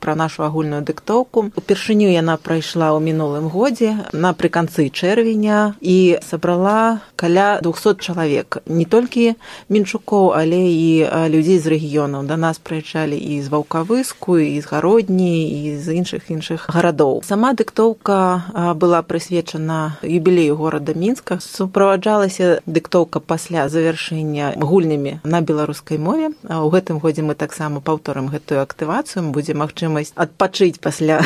пра нашу агульную дыктоўку. Упершыню яна прайшла ў мінулым годзе напрыканцы чэрвеня і сабрала каля 200 чалавек. Не толькі мінчукоў, але і людзей з рэгіёнаў. Да нас прыязджалі і з Ваўкавыску, і з Гародні, і з іншых гарадоў. Сама дыктоўка была прысвечана юбілею горада Мінска. Суправаджалася дыктоўка пасля завяршэння гульнямі на беларускай мове. У гэтым годзе мы таксама паўторым гэтую актывацыю. Будзе магчымасць адпачыць пасля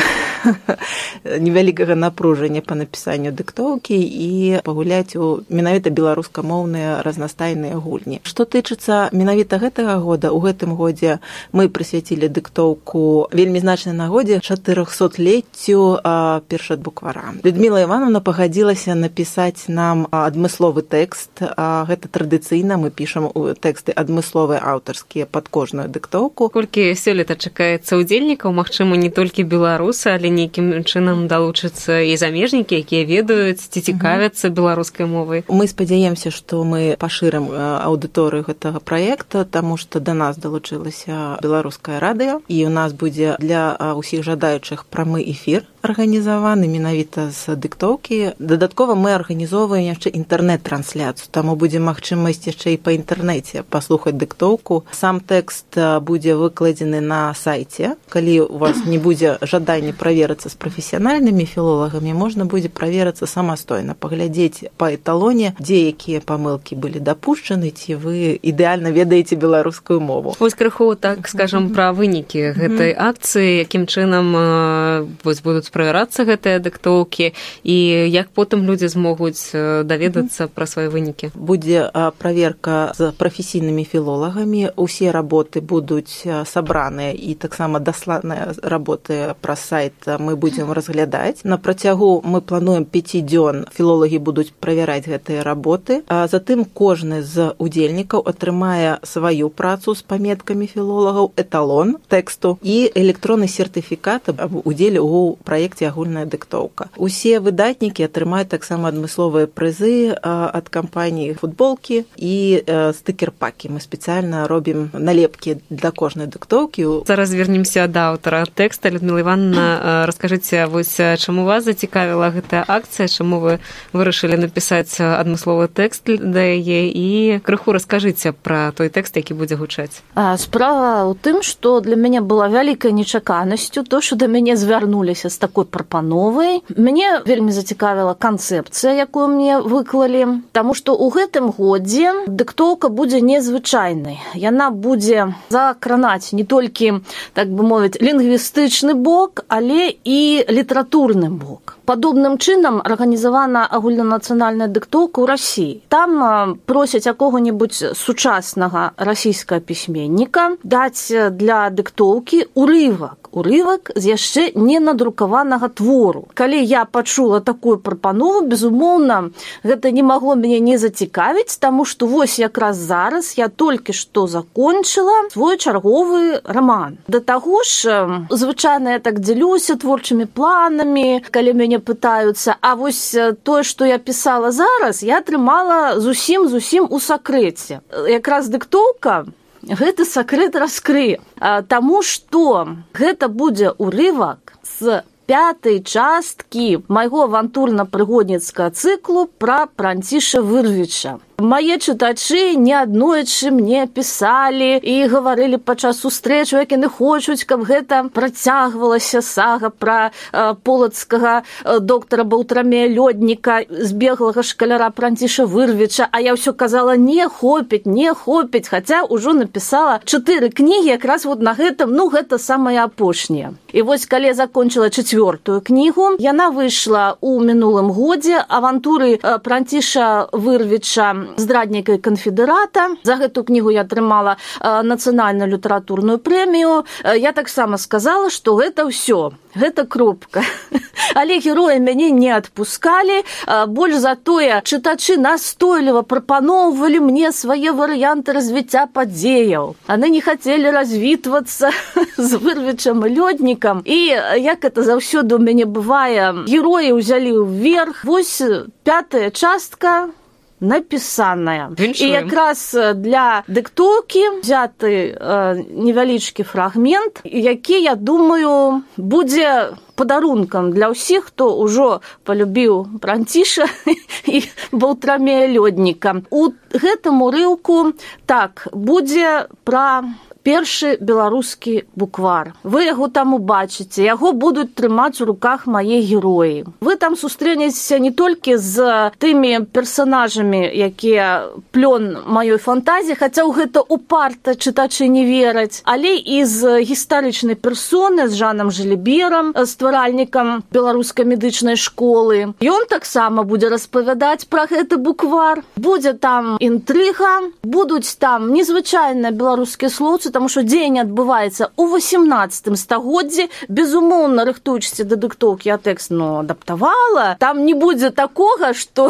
невялікага напружання па напісанню дыктоўкі і пагуляць у менавіта беларускамоўныя разнастайныя гульні. Што тычыцца менавіта гэтага года, у гэтым годзе мы прысвяцілі дыктоўку вельмі значнай нагодзе 400-леццю першадбуквара. Людміла Івановна пагадзілася напісаць нам адмысловы тэкст. Гэта традыцыйна, мы пішам тэксты адмысловыя аўтарскія пад кожную дыктоўку. Колькі сёлета чакаецца удзельнікаў, магчыма, не толькі беларусы, але нейкім чынам далучацца і замежнікі, якія ведаюць ці цікавяцца беларускай мовай. Мы спадзяемся, што мы пашырым аўдыторыю гэтага праекта, таму што да нас далучылася беларускае радыё, і у нас будзе для ўсіх жадаючых прамы эфір арганізаваны менавіта з дыктоўкі. Дадаткова мы арганізоўваем яшчэ інтэрнэт-трансляцыю, таму будзе магчымасць яшчэ і па інтэрнэце паслухаць дыктоўку. Сам тэкст будзе выкладзены на сайце. Калі у вас не будзе жадання праверыцца з прафесіянальнымі філолагамі, можна будзе праверыцца самастойна, паглядзець па эталоне, дзе якія памылкі былі дапушчаны, ці вы ідэальна ведаеце беларускую мову. Вось крыху, так скажам, пра вынікі гэтай акцыі, якім чынам будуць правярацца гэтыя дыктоўкі і як потым людзі змогуць даведацца пра свае вынікі. Будзе праверка з прафесійнымі філолагамі. Усе работы будуць сабраныя і таксама дасланыя работы праз сайт мы будзем разглядаць. На працягу мы плануем 5 дзён філолагі будуць правяраць гэтыя работы. Затым кожны з удзельнікаў атрымае сваю працу з паметкамі філолагаў, эталон тэксту і электронны сертыфікат аб удзеле ў праекце агульная дыктоўка. Усе выдатнікі атрымаюць таксама адмысловыя прызы ад кампаніі футболкі і стыкер-пакі. Мы спецыяльна робім налепкі для кожнай дыктоўкі. Зараз вернемся да аўтара тэкста. Людмила Івановна, раскажыце, вось чаму вас зацікавіла гэтая акцыя, чаму вы вырашылі напісаць адмысловы тэкст да яе і крыху раскажыце пра той тэкст, які будзе гучаць. Справа ў тым, што для мяне была вялікай нечаканасцю то, што да мяне звярнуліся з такой прапановай. Мяне вельмі зацікавіла канцэпцыя, якую мне выклалі, таму што ў гэтым годзе дыктоўка будзе незвычайнай. Яна будзе закранаць не толькі, так бы мовіць, лінгвістычны бок, але і літаратурны бок. Падобным чынам арганізавана агульнанацыянальная дыктоўка ў Расіі. Там просяць якога-небудзь сучаснага расійскага пісьменніка даць для дыктоўкі урывак з яшчэ не надрукаванага твору. Калі я пачула такую прапанову, безумоўна, гэта не магло мяне не зацікавіць, таму што вось якраз зараз я толькі што закончыла свой чарговы раман. Да таго ж, звычайна я так дзелюся творчымі планамі, калі мяне пытаюцца, а вось тое, што я пісала зараз, я атрымала зусім у сакрэце. Якраз дыктоўка гэты сакрэт раскрые, таму што гэта будзе урывак з 5-й часткі майго авантурна-прыгодніцкага цыклу пра Франціша Вырвіча. Мае чытачы неаднойчы мне пісалі і гаварылі падчас сустрэч, як яны хочуць, каб гэта працягвалася сага пра полацкага доктара Баўтрамея Лёдніка, збеглага шкаляра Франціша Вырвіча, а я ўсё казала, не хопіць, хаця ўжо напісала 4 кнігі якраз вот на гэтым, гэта самае апошняе. І вось калі я закончыла 4-ю кнігу, яна выйшла ў мінулым годзе, авантуры Франціша Вырвіча здрадніка і канфедэрата. За гэту кнігу я атрымала нацыянальную літаратурную прэмію. Я таксама сказала, што гэта ўсё, гэта кропка. Але героі мяне не адпускалі. Больш за тое, чытачы настойліва прапаноўвалі мне свае варыянты развіцця падзеяў. Яны не хацелі развітвацца з Вырвічам і Лёднікам. І, як это заўсёды ў мяне бывае, героі ўзялі ўверх. Вось 5-я частка напісаная. Віншуем. І якраз для дыктоўкі взяты невялічкі фрагмент, які, я думаю, будзе падарункам для ўсіх, хто ўжо палюбіў Пранціша і Балтрамея Лёдніка. У гэтым урыўку так будзе пра першы беларускі буквар. Вы яго там убачыце, яго будуць трымаць у руках мае героі. Вы там сустрэнецеся не толькі з тымі персанажамі, якія плён маёй фантазіі, хаця ў гэта упарта чытачы не вераць, але і з гістарычнай персоны, з Жанам Жаліберам, стваральнікам беларускай медычнай школы. Ён таксама будзе распавядаць пра гэты буквар. Будзе там інтрыга, будуць там незвычайныя беларускія слоўцы, тому што дзень адбываецца ў 18 стагоддзі. Безумоўна, рыхтуючыся да дыктоўкі, я тэкст, адаптавала. Там не будзе такога, што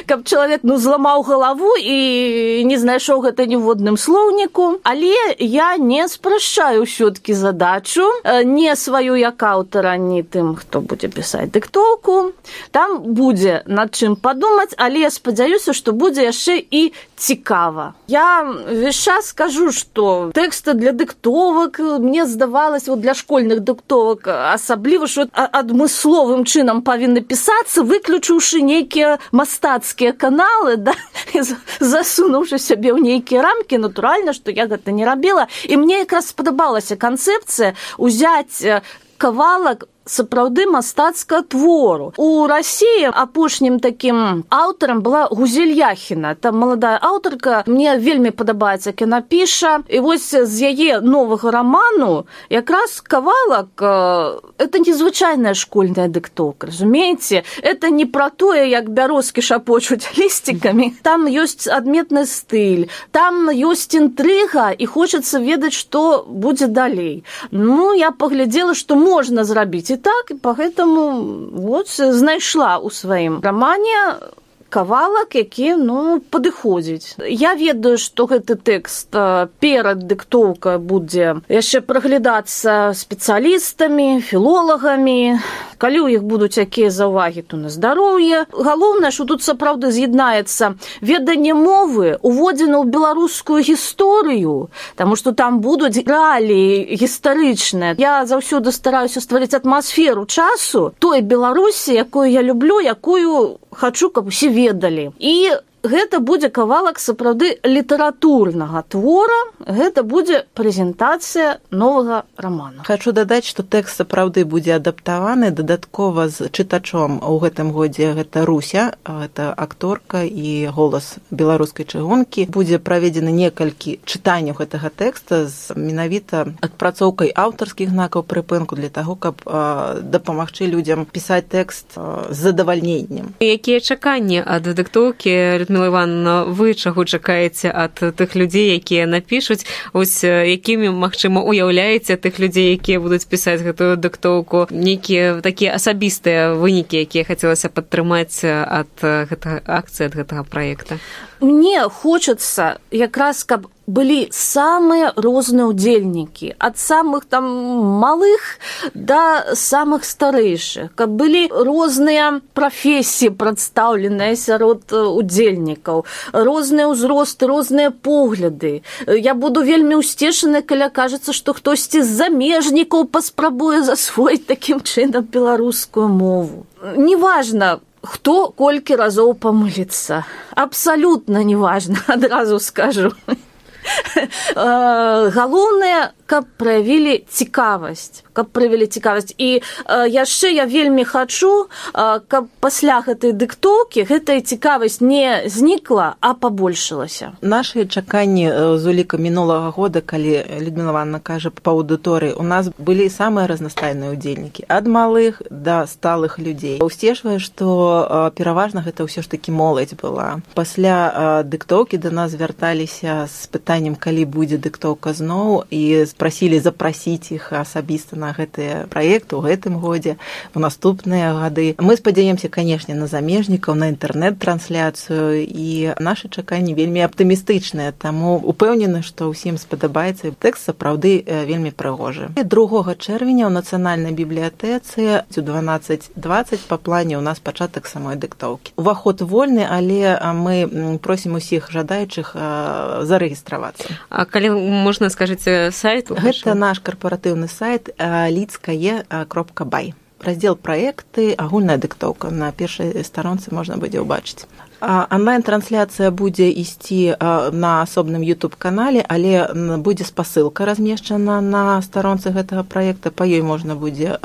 каб чалавек, зламаў галаву і не знайшоў гэта ніводным слоўніку. Але я не спрашчаю ўсё-ткі задачу, не сваю як аўтара, не тым, хто будзе пісаць дыктоўку. Там будзе над чым падумаць, але я спадзяюся, што будзе яшчэ і цікава. Я весь час скажу, што тэксты для дыктовак, мне здавалось, для школьных дыктовак асабліва, што адмысловым чынам павінны пісацца, выключыўшы нейкія мастацкія каналы, засунуўшы сябе ў нейкія рамкі. Натуральна, што я гэта не рабіла. І мне якраз спадабалася канцэпцыя ўзяць кавалак сапраўды мастацкага твору. У Расіі апошнім такім аўтарам была Гузель Яхіна. Там маладая аўтарка, мне вельмі падабаецца, як яна піша. І вось з яе новага раману якраз кавалак это незвычайная школьная дыктоўка, разумееце? Это не пра тое, як бярозкі шапочуць лісцікамі. Там ёсць адметны стыль, там ёсць інтрыга, і хочацца ведаць, што будзе далей. Я паглядзела, што можна зрабіць. І так, і поэтому знайшла ў сваім рамане кавалак, які, падыходзіць. Я ведаю, што гэты тэкст перад дыктоўкай будзе яшчэ праглядацца спецыялістамі, філолагамі. Калі ў іх будуць якія заўвагі, то на здароўе. Галоўнае, што тут сапраўды з'яднаецца веданне мовы, уводзена ў беларускую гісторыю, таму што там будуць рэаліі гістарычныя. Я заўсёды стараюся стварыць атмасферу часу той Беларусі, якую я люблю, якую хачу, каб усе ведалі. І гэта будзе кавалак сапраўды літаратурнага твора, гэта будзе прэзентацыя новага рамана. Хачу дадаць, што тэкст сапраўды будзе адаптаваны дадаткова з чытачом у гэтым годзе. Гэта Руся, гэта акторка і голас беларускай чыгункі. Будзе праведзены некалькі чытанняў гэтага тэкста з менавіта адпрацоўкай аўтарскіх знакаў прыпынку для таго, каб дапамагчы людзям пісаць тэкст з задавальненнем. Якія чаканні ад дыктоўкі, Людмила Івановна, вы чаго чакаеце ад тых людзей, якія напішуць? Ось якімі, магчыма, уяўляеце тых людзей, якія будуць пісаць гэтую дыктоўку? Нейкія такія асабістыя вынікі, якія хацелася падтрымаць ад гэтага акцыі, ад гэтага праекта? Мне хочацца якраз, каб былі самыя розныя удзельнікі, ад самых там малых да самых старэйшых, каб былі розныя прафесіі прадстаўленыя сярод удзельнікаў, розныя ўзросты, розныя погляды. Я буду вельмі ўсцешаны, калі кажацца, што хтосьці з замежнікаў паспрабуе засвоіць такім чынам беларускую мову. Неважна, хто колькі разоў памыліцца. Абсалютна неважна, адразу скажу. Галоўнае, каб праявілі цікавасць. І яшчэ я вельмі хачу, каб пасля гэтай дыктоўкі гэтая цікавасць не знікла, а пабольшылася. Нашы чаканні з уліка мінулага года, калі Людмила Івановна кажа па аўдыторыі, у нас былі самыя разнастайныя удзельнікі, ад малых да сталых людзей. Усцешвае, што пераважна гэта ўсё ж такі моладзь была. Пасля дыктоўкі да нас вярталіся з пытаннем, калі будзе дыктоўка зноў, і прасілі запрасіць іх асабіста на гэтыя праекты ў гэтым годзе, у наступныя гады. Мы спадзяемся, канешне, на замежнікаў, на інтэрнэт-трансляцыю, і нашы чаканні вельмі аптымістычныя, таму упэўнены, што ўсім спадабаецца. Тэкст сапраўды вельмі прыгожы. 2 чэрвеня ў Нацыянальнай бібліятэцы у 12:20 па плане ў нас пачатак самой дыктоўкі. Уваход вольны, але мы просім усіх жадаючых зарэгістравацца. А калі можна, скажыце, сайт? Гэта наш карпаратыўны сайт lidskае.by. Раздзел праекты, агульная дыктоўка. На першай старонцы можна будзе ўбачыць. Онлайн-трансляцыя будзе ісці на асобным YouTube-канале, але будзе спасылка размешчана на старонцы гэтага праекта, па ёй можна будзе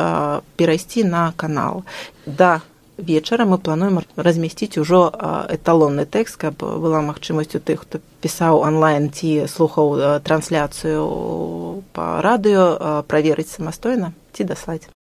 перайсці на канал. Да вечара мы плануем размясціць ужо эталонны тэкст, каб была магчымасць у тых, хто пісаў онлайн ці слухаў трансляцыю па радыё, праверыць самастойна ці даслаць.